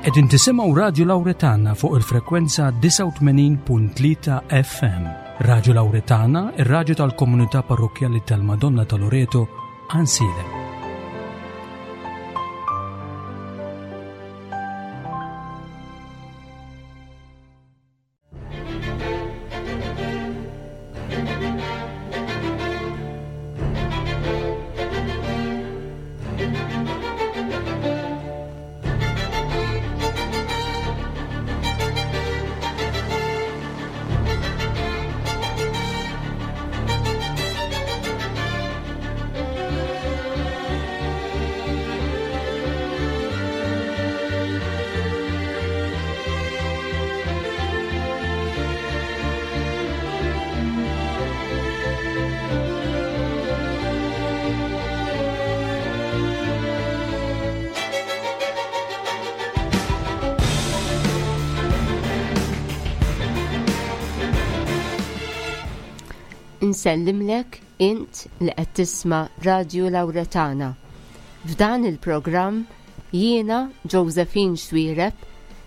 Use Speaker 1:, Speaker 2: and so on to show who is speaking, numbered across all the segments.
Speaker 1: Qegħdin tisimgħu Radju Lawretana fuq il-frekwenza 89.3 FM. Radju Lawretana, ir-radju tal-komunità parrokkjali tal-Madonna ta' Loreto, Ansilem.
Speaker 2: Insellimlek int li qed tisma' Radju Lawretana. F'dan il-programm jiena Josephine Xuereb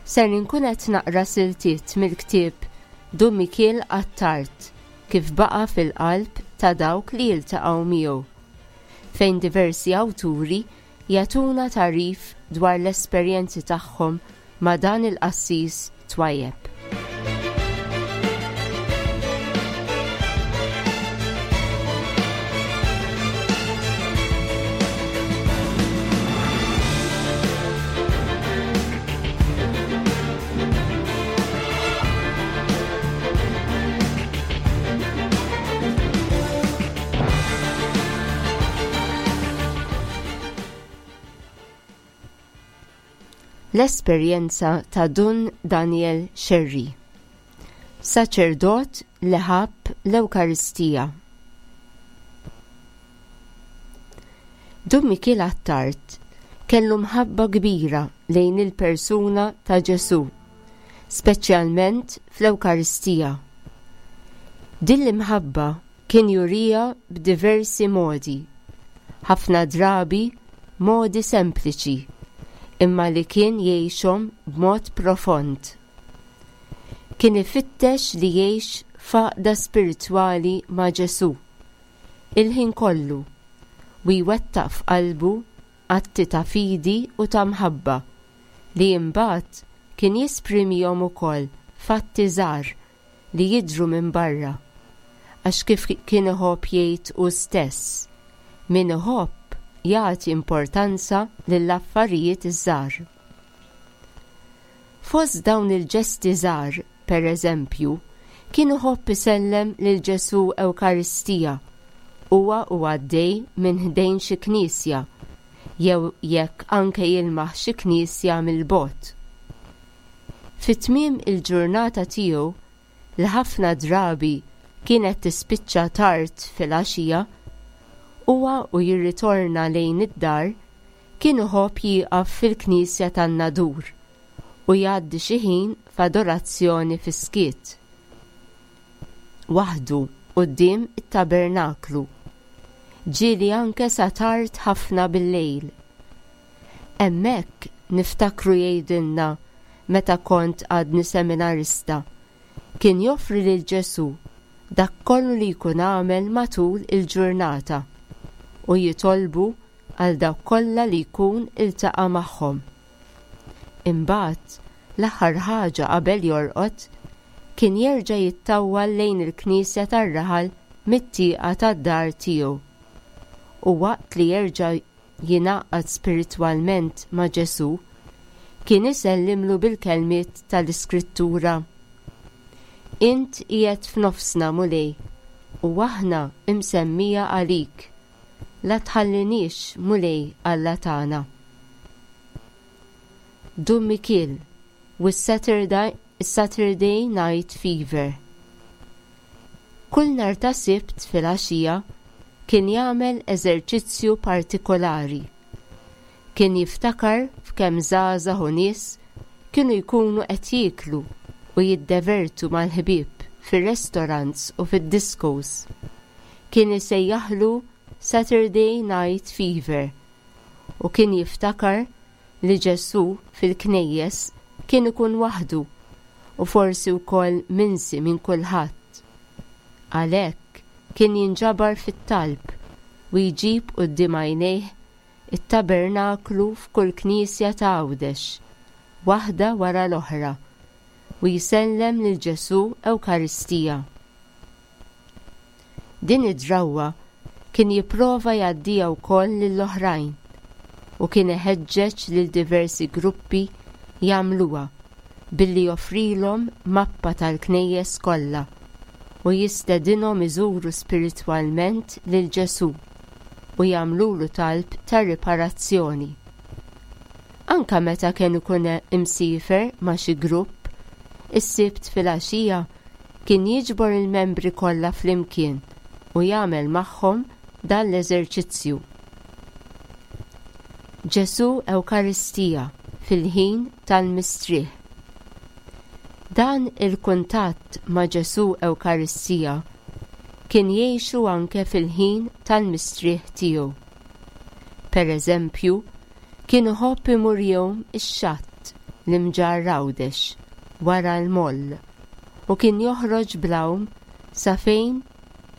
Speaker 2: ser inkun qed naqra siltiet mill-ktieb Dun Mikiel Attard kif baqa' fil-qalb ta' dawk li jiltaqgħu miegħu, fejn diversi awturi jagħtuna tagħrif dwar l-esperjenzi tagħhom ma' dan il-qassis twajjeb. L-esperjenza ta' Dun Daniel Scerri, saċerdot li ħabb l-Ewkaristija. Dun Mikiel Attard kellu mħabba kbira lejn il-persuna ta' Ġesù, speċjalment fl-Ewkaristija. Din l-imħabba kien juriha b'diversi modi, ħafna drabi modi sempliċi, imma li kien jgħixhom b'mod profond. Kien ifittex li jgħix f'għaqda spiritwali ma' Ġesù il-ħin kollu u jwettaq f'qalbu atti ta' fidi u ta' mħabba li imbagħad kien jesprimihom ukoll f'atti żgħar li jidhru minn barra, għax kif kien iħobb jgħid hu stess, min iħobb jagħti importanza lill-affarijiet iż-żgħar. Fost dawn il-ġesti żgħar, per eżempju, kien iħobb isellem lil Ġesù Ewkaristija huwa u għaddej minn ħdejn xi knisja jew jekk anke jilmaħ xi knisja mill-bogħod. Fi tmiem il-ġurnata tiegħu, li ħafna drabi kienet tispiċċa tard filgħaxija, huwa u jirritorna lejn id-dar kien iħobb jieqaf fil-knisja tan-Nadur u jgħaddi xi ħin f'adorazzjoni fis-skiet, waħdu quddiem it-tabernaklu, ġieli anke sa tard ħafna bil-lejl. Hemmhekk niftakru jgħidilna meta kont għadni seminarista, kien joffri lil Ġesù dak kollu li jkun għamel matul il-ġurnata u jitolbu għal dawk kollha li jkun iltaqa' magħhom. Imbagħad, l-aħħar ħaġa qabel jorqod, kien jerġa' jittawwal lejn il-knisja tar-raħal mit-tieqa tad-dar tiegħu. U waqt li jerġa' jingħaqad spiritwalment ma' Ġesù, kien isellimlu bil-kelmiet tal-Iskrittura, Int qiegħed f'nofsna, Mulej, u aħna msemmija għalik. La tħalliniex, Mulej Alla tagħna. Dun Mikiel with Saturday Night Fever. Kull nhar ta' Sibt filgħaxija kien jagħmel eżerċizzju partikolari. Kien jiftakar f'kemm żgħażagħ u nies kienu jkunu qed jieklu u jiddevertu mal-ħbieb fir-restaurants u fid-discos. Kien isejjaħlu Saturday Night Fever u kien jiftakar. li Ġesù fil-knejjes kien ikun waħdu u forsi wkoll minsi minn kulħadd. Għalhekk kien jinġabar fit-talb u jġib quddiem għajnejh it-tabernaklu f'kull knisja ta' Għawdex, waħda wara l-oħra, u jsellem lil Ġesù Ewkaristija. Din id-drawwa kien jipprova jgħaddiha wkoll lill-oħrajn u kien iħeġġeġ lil diversi gruppi jagħmluha billi joffrilhom mappa tal-knejjes kollha u jistedinhom iżuru spiritwalment lil Ġesù u jagħmlulu talb ta' riparazzjoni. Anke meta kien ikun imsiefer ma' xi grupp, is-Sibt filgħaxija kien jiġbor il-membri kollha flimkien u jagħmel magħhom dan l-eżerċizzju. Ġesù Ewkaristija fil-ħin tal-mistrieħ. Dan il-kuntatt ma' Ġesù Ewkaristija kien jgħixu anke fil-ħin tal-mistrieħ tiegħu. Per eżempju, kien iħobb imur jgħum ix-xatt l-Imġarr Għawdex wara l-moll u kien joħroġ bl-għawm sa fejn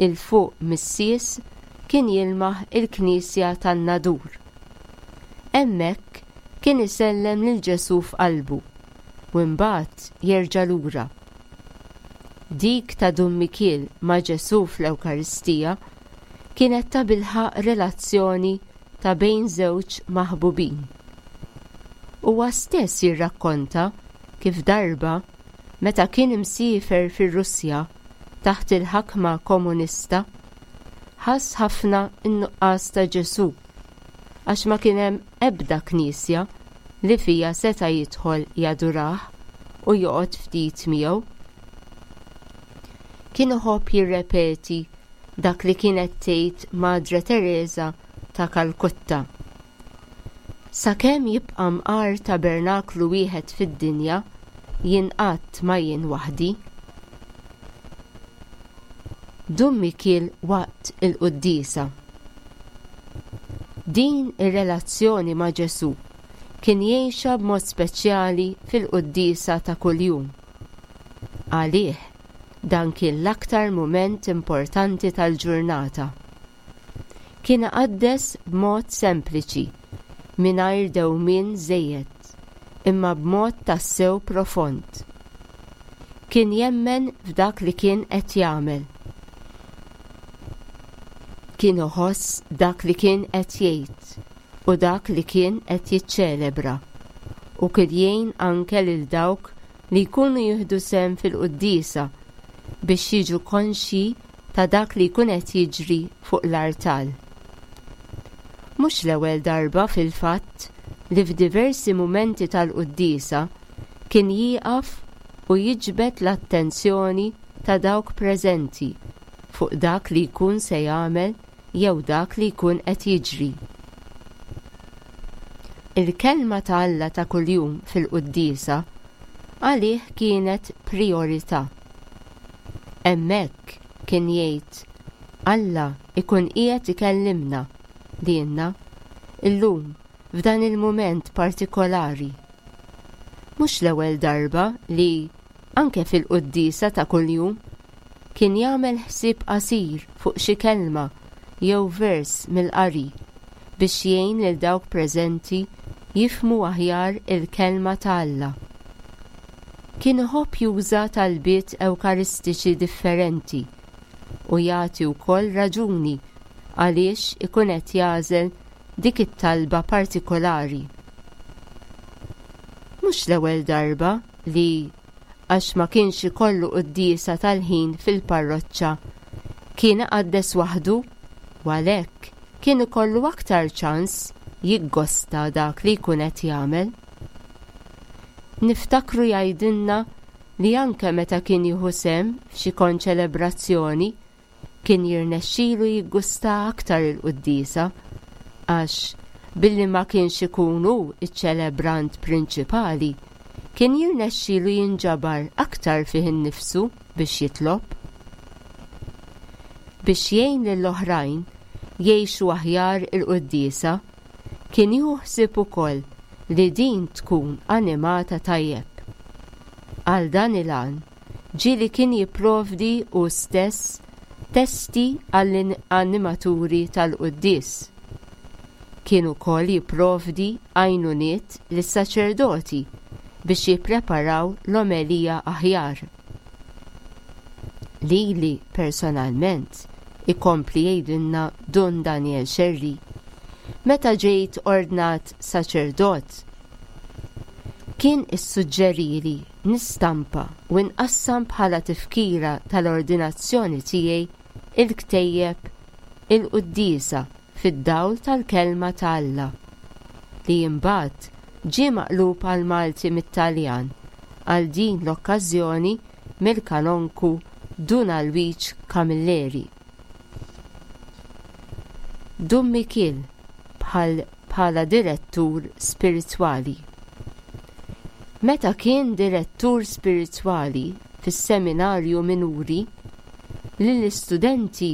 Speaker 2: 'il fuq mis-sies kien jilmaħ il-knisja tan-Nadur. Hemmhekk kien isellem lil Ġesù f'qalbu u imbagħad jerġa' lura. Dik ta' Dun Mikiel ma' Ġesù fl-Ewkaristija kienet tabilħaqq relazzjoni ta' bejn żewġ maħbubin. Huwa stess jirrakkonta kif darba, meta kien imsiefer fir-Russja taħt il-ħakma komunista, ħass ħafna n-nuqqas ta' Ġesù għax ma kien hemm ebda knisja li fiha seta' jidħol jadurah u joqgħod ftit miegħu. Kien iħobb jirrepeti dak li kienet tgħid Madre Tereża ta' Kalkutta. Sakemm jibqa' mqar tabernaklu wieħed fid-dinja, jien qatt ma jien waħdi. Dun Mikiel waqt il-quddiesa. Din ir-relazzjoni ma' Ġesù kien jgħixha b'mod speċjali fil-quddiesa ta' kuljum. Għalih, dan kien l-aktar mument importanti tal-ġurnata. Kien iqaddes b'mod sempliċi, mingħajr dewmien żejjed, imma b'mod tassew profond. Kien jemmen f'dak li kien qed jagħmel. Kien iħoss dak li kien qed jgħid u dak li kien qed jiċċelebra, u kien jgħin anke lil dawk li jkunu jieħdu sehem fil-quddiesa biex jiġu konxji ta' dak li jkun qed jiġri fuq l-artal. Mhux l-ewwel darba fil-fatt li f'diversi mumenti tal-quddiesa kien jieqaf u jiġbed l-attenzjoni ta' dawk preżenti fuq dak li jkun se jagħmel jew dak li jkun qed jiġri. Il-Kelma ta' Alla ta' kuljum fil-quddiesa għalih kienet prijorità. Hemmhekk, kien jgħid, Alla jkun qiegħed ikellimna lilna, illum, f'dan il-mument partikolari. Mhux l-ewwel darba li, anke fil-quddiesa ta' kuljum, kien jagħmel ħsieb qasir fuq xi kelma jew vers mill-qari biex jgħin lil dawk preżenti jifhmu aħjar il-Kelma ta' Alla. Kien iħobb juża talbiet Ewkaristiċi differenti u jagħti wkoll raġuni għaliex ikun qed jagħżel dik it-talba partikolari. Mhux l-ewwel darba li, għax ma kienx ikollu quddiesa tal-ħin fil-parroċċa, kien iqaddes waħdu u għalhekk kien ikollu aktar ċans jiggosta dak li jkun qed jagħmel. Niftakru jgħidilna li anke meta kien jieħu sehem f'xi konċelebrazzjoni kien jirnexxilu jiggusta aktar il-quddiesa għax billi ma kienx ikun hu ċ-ċelebrant prinċipali kien jirnexxilu jinġabar aktar fih innifsu biex jitlob. Biex jgħin lill-oħrajn jgħixu aħjar il-quddiesa, kien jieħu ħsieb ukoll. li din tkun animata tajjeb. Għal dan il-għan, ġieli kien jipprovdi hu stess testi għall-animaturi tal-quddies. Kien ukoll jipprovdi għajnuniet lis-saċerdoti biex jippreparaw l-omelija aħjar. Lili personalment, ikompli jgħidilna Dun Daniel Scerri, meta ġejt ordnat saċerdot, kien issuġġerili nistampa u nqassam bħala tifkira tal-ordinazzjoni tiegħi il-ktejjeb Il-Quddiesa fid-Dawl tal-Kelma ta' Alla, li imbagħad ġie maqlub għall-Malti mit-Taljan għal din l-okkażjoni mill-Kanonku Dun Alwiġ Camilleri. Dun Mikiel bħal bħala direttur spiritwali. Meta kien direttur spiritwali fis-Seminarju Minuri, lill-istudenti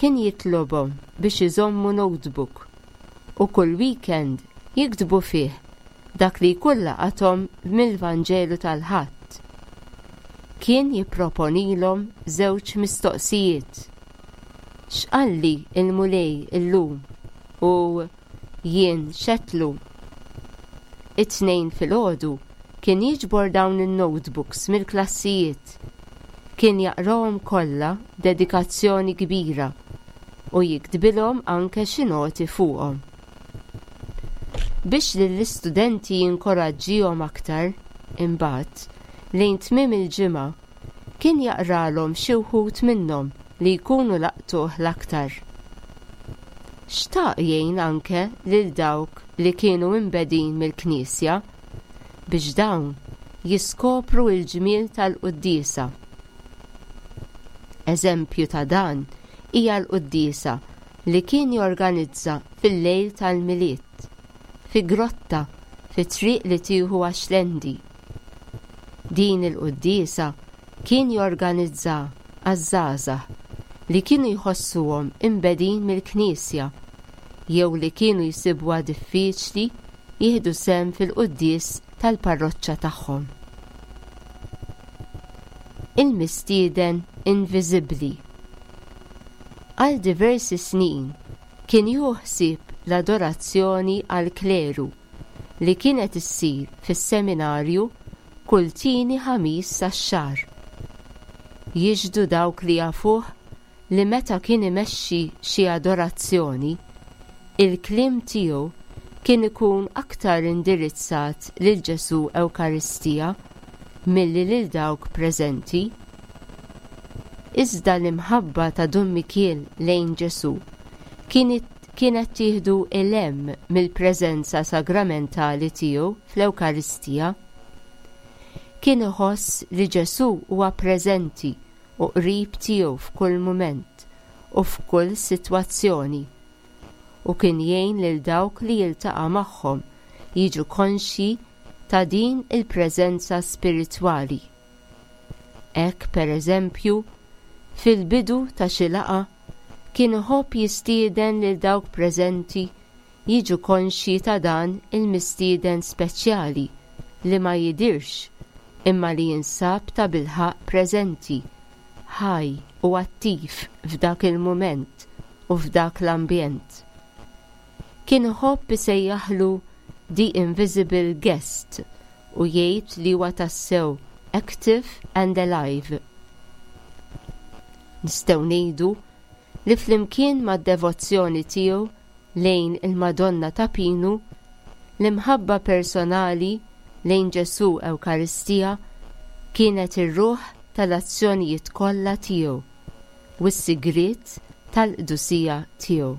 Speaker 2: kien jitlobhom biex iżommu notebook u kull weekend jiktbu fih dak li jkun laqathom mill-Vanġelu tal-Ħadd. Kien jipproponilhom żewġ mistoqsijiet. X'qalli l-Mulej illum? u Jien x'għedtlu? It-Tnejn filgħodu kien jiġbor dawn in-notebooks mill-klassijiet. Kien jaqrahom kollha b'dedikazzjoni kbira u jiktbilhom anke xi noti fuqhom. Biex lill-istudenti jinkoraġġihom aktar, imbagħad, lejn tmiem il-ġimgħa, kien jaqralhom xi wħud minnhom li jkunu laqtuh l-aktar. Xtaq jgħin anke lil dawk li kienu imbegħdin mill-Knisja biex dawn jiskopru l-ġmiel tal-quddiesa. Eżempju ta' dan hija l-quddiesa li kien jorganizza fil-lejl tal-Milied, fi grotta fi triq li tieħu għax-Xlendi. Din il-quddiesa kien jorganizza għaż-żgħażagħ li kienu jħossuhom imbegħdin mill-Knisja jew li kienu jsibuha diffiċli jieħdu sehem fil-quddies tal-parroċċa tagħhom. Il-mistieden inviżibbli. Għal diversi snin kien jieħu ħsieb l-adorazzjoni għall-kleru li kienet issir fis-seminarju kull tieni Ħamis tax-xahar. Jixhdu dawk li jafuh li meta kien imexxi xi adorazzjoni, il-kliem tiegħu kien ikun aktar indirizzat lil Ġesù Ewkaristija milli lil dawk preżenti. Iżda l-imħabba ta' Dun Mikiel lejn Ġesù kienet tieħdu 'l hemm mill-preżenza sagramentali tiegħu fl-Ewkaristija. Kien iħoss li Ġesù huwa preżenti u qrib tiegħu f'kull mument u f'kull sitwazzjoni, u kien jgħin lil dawk li jiltaqa' magħhom jiġu konxji ta' din il-preżenza spiritwali. Hekk, pereżempju, fil-bidu ta' xi laqgħa kien iħobb jistieden lil dawk preżenti jiġu konxji ta' dan il-mistieden speċjali li ma jidhirx imma li jinsab tabilħaqq preżenti, ħaj u attiv f'dak il-mument u f'dak l-ambjent. Kien iħobb isejjaħlu the invisible guest u jgħid li huwa tassew active and alive. Nistgħu ngħidu li flimkien mad-devozzjoni tiegħu lejn il-Madonna ta' Pinu, l-imħabba personali lejn Ġesù Ewkaristija kienet ir-ruħ tal-azzjonijiet kollha tiegħu u s-sigriet tal-qdusija tiegħu.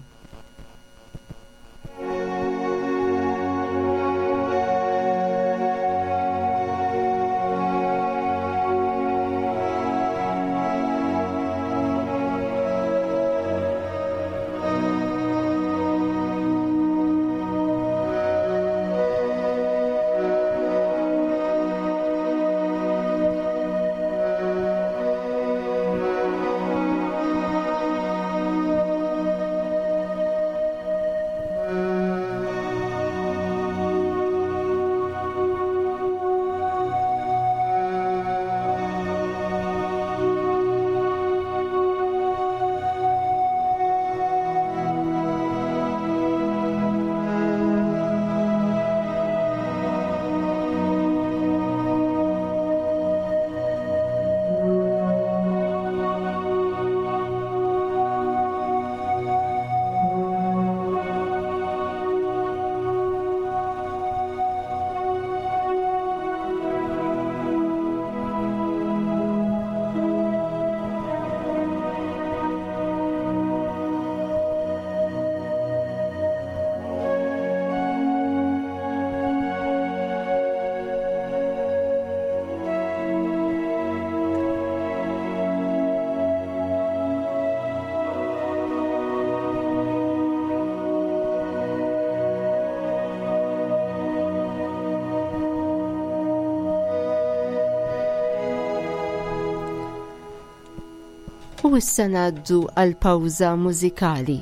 Speaker 2: U issa ngħaddu għal pawża mużikali.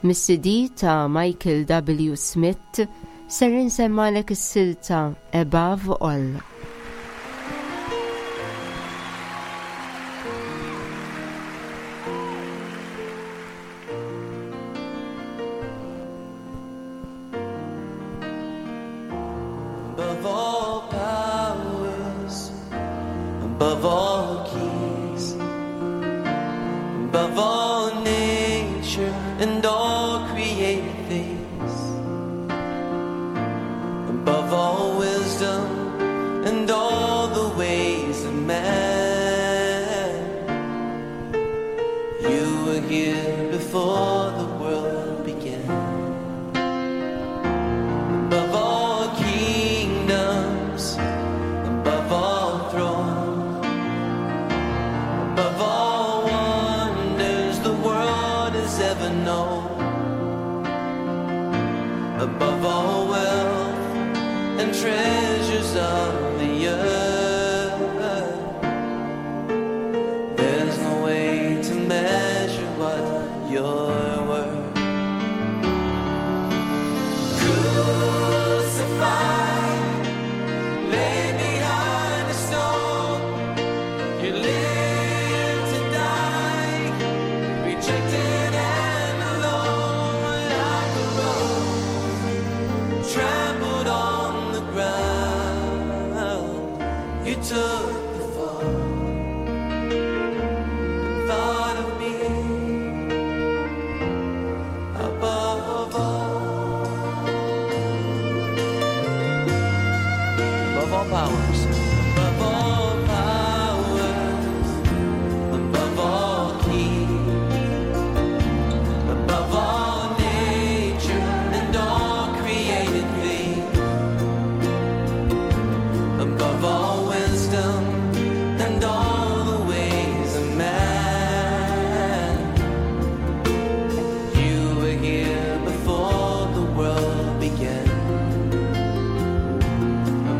Speaker 2: Mis-CD ta' Michael W. Smith ser insemmalek is-silta Above All.
Speaker 3: Above all powers, above all keys, above all nature and all created things, above all wisdom and all the ways of man. You were here before the world began. Above all kingdoms, above all thrones, above all wonders the world has ever known, above all wealth and treasures of the earth, there's no way to measure what you're worth. Crucified, laid behind a stone, you live to die, rejected and alone, like a rose trampled on the ground. You took the fall and thought of me above all. Above all powers, above all powers, above all kings, above all nature and all created things, above all wisdom and all the ways of man. You were here before the world began.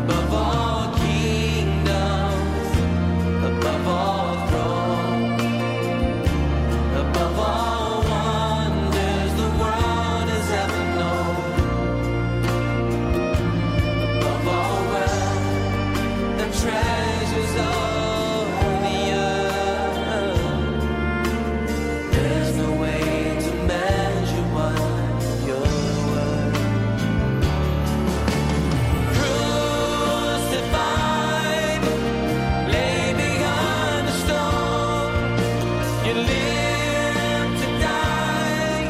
Speaker 3: Above all kingdoms, above all thrones, above all wonders the world has ever known, above all wealth and treasures of the earth, there's no way to measure what you're worth. Crucified, laid behind a stone, you live to die,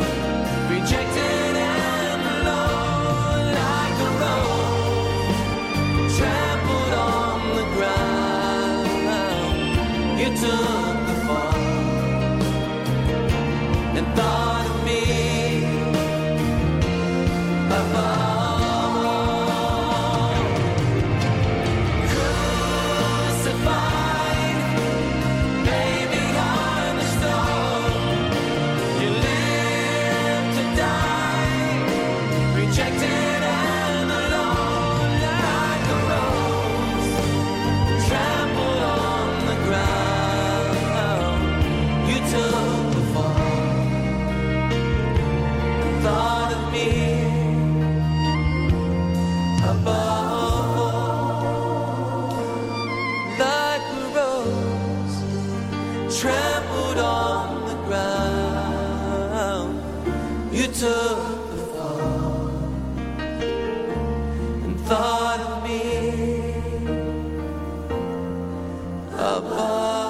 Speaker 3: rejected and alone, like a rose trampled on the ground. You took the fall and thought of me above all. Crucified, laid behind a stone, you live to die, rejected and alone, like a rose trampled on the ground. You took the fall and thought of me above all, like a rose trampled on the ground. You took the fall and thought of me above all.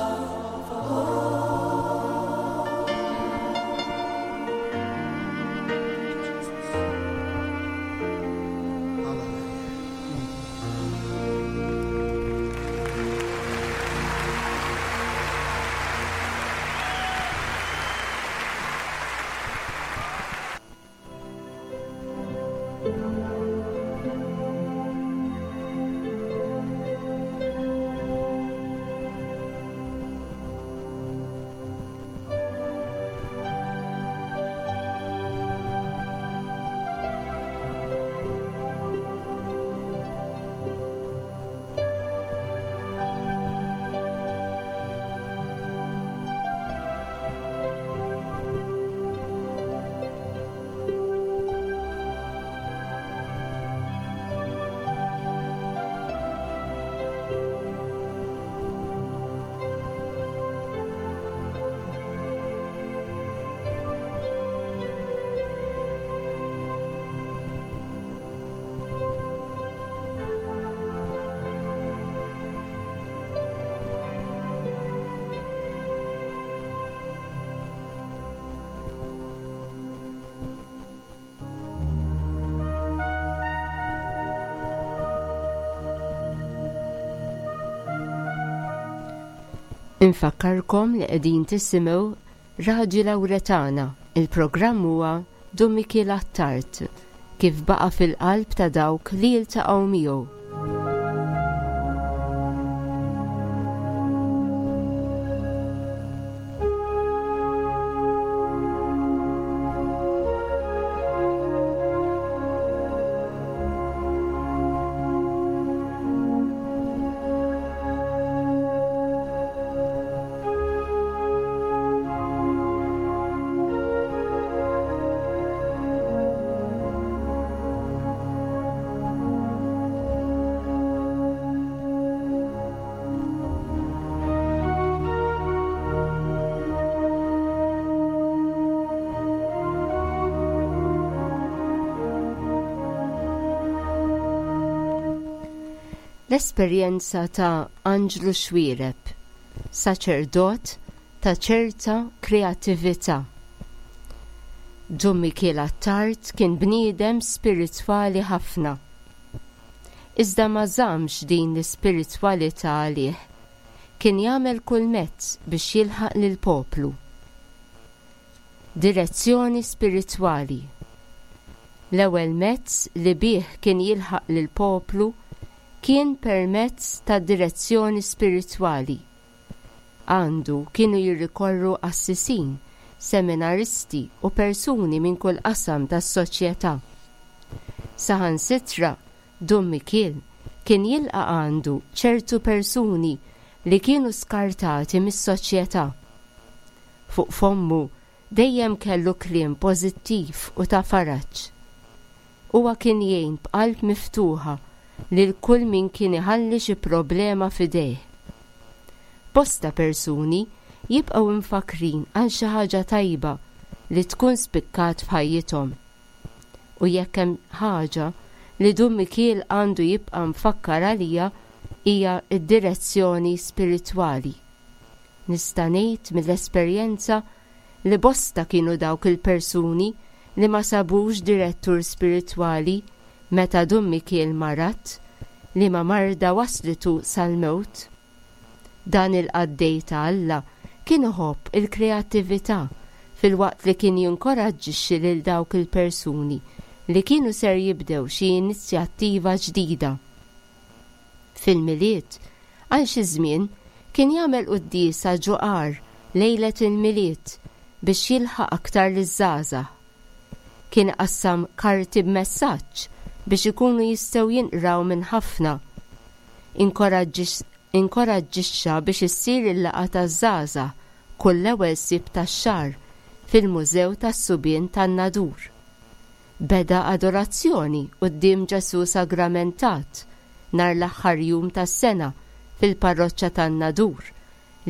Speaker 2: Infakkarkom li qegħdin tisimgħu Radju Lawretana, il-programm huwa Dun Mikiel Attard, kif baqa' fil-qalb ta' dawk li jiltaqgħu miegħu. L-esperjenza ta' Anġlu Xuereb, saċerdot ta' ċerta kreattività. Dun Mikiel Attard kien bniedem spiritwali ħafna. Iżda ma żammx din l-ispiritwalità għalih. Kien jagħmel kull mezz biex jilħaq lill-poplu. Direzzjoni spiritwali. L-ewwel mezz li bih kien jilħaq lill-poplu kien permezz tad-direzzjoni spiritwali. Għandu kienu jirrikorru qassisin, seminaristi u persuni minn kull qasam tas-soċjetà. Saħansitra Dun Mikiel kien jilqa' għandu ċertu persuni li kienu skartati mis-soċjetà. Fuq fommu dejjem kellu kliem pożittiv u ta' faraġ. Huwa kien jgħin b'qalb miftuħa lil kull min kien iħalli xi problema f'idejh. Bosta persuni jibqgħu mfakkrin għal xi ħaġa tajba li tkun spikkat f'ħajjithom. U jekk hemm ħaġa li Dun Mikiel għandu jibqa' mfakkar għaliha hija d-direzzjoni spiritwali. Nista' ngħid mill-esperjenza li bosta kienu dawk il-persuni li ma sabux direttur spiritwali meta Dun Mikiel marad, liema marda wasslitu sal-mewt. Dan il-qaddej ta' Alla kien iħobb il-kreattività filwaqt li kien jinkoraġġixxi lil dawk il-persuni li kienu ser jibdew xi inizjattiva ġdida. Fil-Milied, għal xi żmien, kien jagħmel quddiesa ġo għar lejlet il-Milied biex jilħaq aktar liż-żgħażagħ. Kien iqassam karti b'messaġġ biex ikunu jistgħu jinqraw minn ħafna. Inkoraġġixxa biex issir il-laqgħa taż-żgħażagħ kull l-ewwel Sibt tax-xahar fil-Mużew tas-Subien tan-Nadur. Beda adorazzjoni quddiem Ġesù Sagramentat nhar l-aħħar jum tas-sena fil-Parroċċa tan-Nadur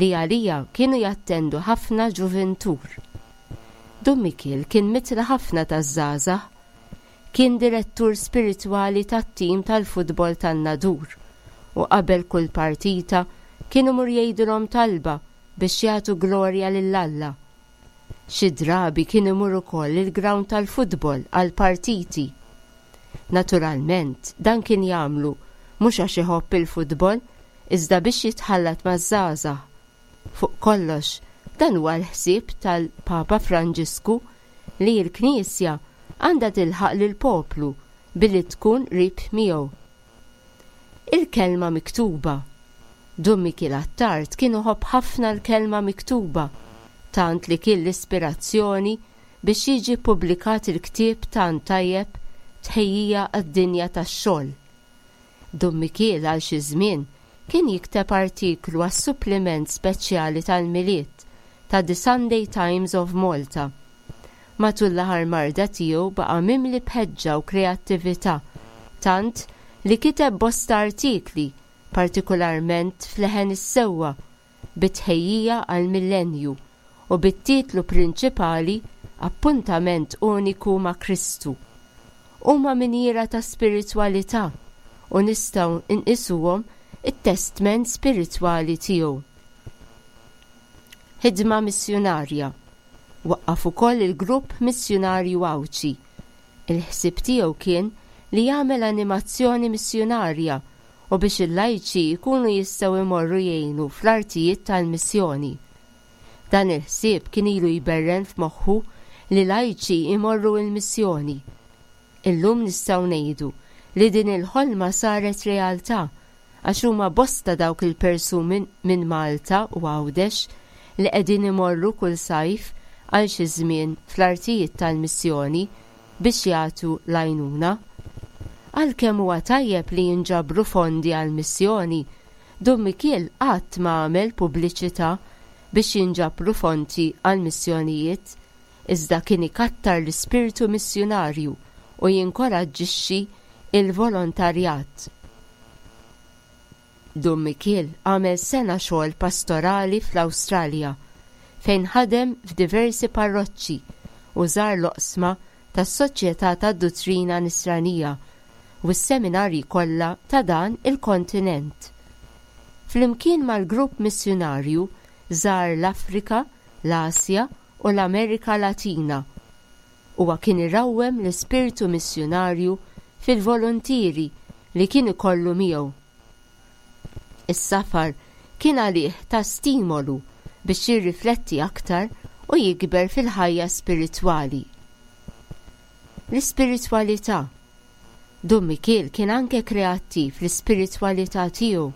Speaker 2: li għaliha kienu jattendu ħafna ġuvintur. Dun Mikiel kien mitla ħafna taż-żgħażagħ. Kien direttur spiritwali tat-tim tal-futbol tan-Nadur u qabel kull partita kien imur jgħidilhom talba biex jagħtu glorja lil Alla. Xi drabi kien imur ukoll il-grawnd tal-futbol għall-partiti. Naturalment dan kien jagħmlu mhux għax iħobb il-futbol iżda biex jitħallat maż-żgħażagħ. Fuq kollox, dan huwa l-ħsieb tal-Papa Franġisku li l-Knisja għandha tilħaq lill-poplu billi tkun qrib miegħu. Il-kelma miktuba. Dun Mikiel Attard kien iħobb ħafna l-kelma miktuba tant li kien l-ispirazzjoni biex jiġi ppubblikat il-ktieb tant tajjeb Tħejjija għad-Dinja tax-Xogħol. Dun Mikiel għal xi żmien kien jikteb artiklu għas-suppliment speċjali tal-Milied ta' The Sunday Times of Malta. Matul l-aħħar marda tiegħu baqa' mimli b'ħeġġa u kreattività tant li kiteb bosta artikli, partikularment f'Leħen is-Sewwa, bi tħejjija għall-Millennju u bit-titlu prinċipali Appuntament Uniku ma' Kristu. Huma minjiera ta' spiritwalità u nistgħu nqisuhom it-testment spiritwali tiegħu. Ħidma missjunarja. Waqqaf ukoll il-Grupp Missjunarju Għawdxi. Il-ħsieb tiegħu kien li jagħmel animazzjoni missjunarja. u biex il-lajċi jkunu jistgħu jmorru jgħinu fl-artijiet tal-missjoni. Dan il-ħsieb kien ilu jberren f'moħħu li lajċi jmorru l-missjoni. Illum nistgħu ngħidu li din il-ħolma saret realtà għax huma bosta dawk il-persuni minn Malta u Għawdex li qegħdin imorru kull sajf għal xi żmien fl-artijiet tal-missjoni biex jagħtu l-għajnuna. Għalkemm huwa tajjeb li jinġabru fondi għall-missjoni, Dun Mikiel qatt ma għamel pubbliċità biex jinġabru fonti għall-missjonijiet iżda kien ikattar l-ispirtu missjunarju u jinkoraġġixxi l-volontarjat. Dun Mikiel għamel sena xogħol pastorali fl-Awstralja fejn ħadem f'diversi parroċċi u żar l-oqsma tas-Soċjetà tad-Duttrina Nisranija u s-seminarji kollha ta' dan il-kontinent. Flimkien mal-grupp missjunarju żar l-Afrika, l-Asja u l-Amerika Latina. Huwa kien irawwem l-ispirtu missjunarju fil-voluntieri li kien ikollu miegħu. Is-safar kien għalih ta' stimolu biex jirrifletti aktar u jikber fil-ħajja spiritwali. L-ispiritwalità. Dun Mikiel kien anke kreattiv fl-ispiritwalità tiegħu.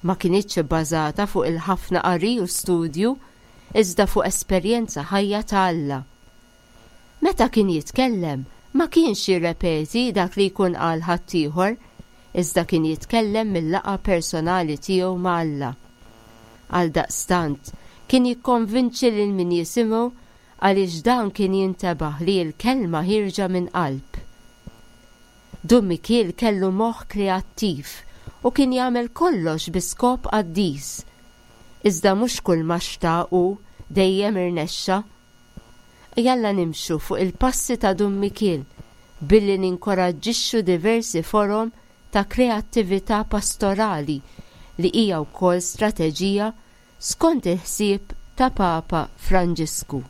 Speaker 2: Ma kinitx ibbażata fuq il-ħafna qari u studju iżda fuq esperjenza ħajja ta' Alla. Meta kien jitkellem, ma kienx jirrepeti dak li jkun qal ħaddieħor, iżda kien jitkellem mil-laqgħa personali tiegħu ma' Alla. Għaldaqstant, kien jikkonvinċi lil min jisimgħu għaliex dan kien jintebaħ li l-kelma ħierġa minn qalb. Dun Mikiel kellu moħħ kreattiv u kien jagħmel kollox bi skop qaddis. Iżda mhux kulma xtaq hu dejjem irnexxa. Jalla nimxu fuq il-passi ta' Dun Mikiel billi ninkoraġġixxu diversi forom ta' kreattività pastorali li hija wkoll strateġija skont il-ħsieb ta' Papa Franġisku.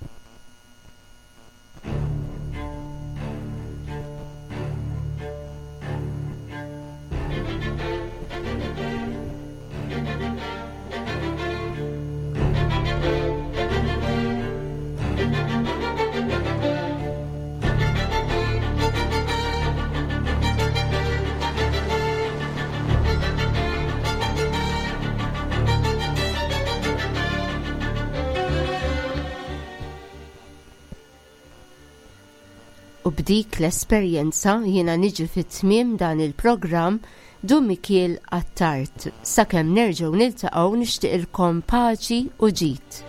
Speaker 2: U b'dik l-esperjenza jiena niġi fi tmiem dan il-programm Dun Mikiel Attard. Sakemm nerġgħu niltaqgħu nixtieqilkom paċi u ġid.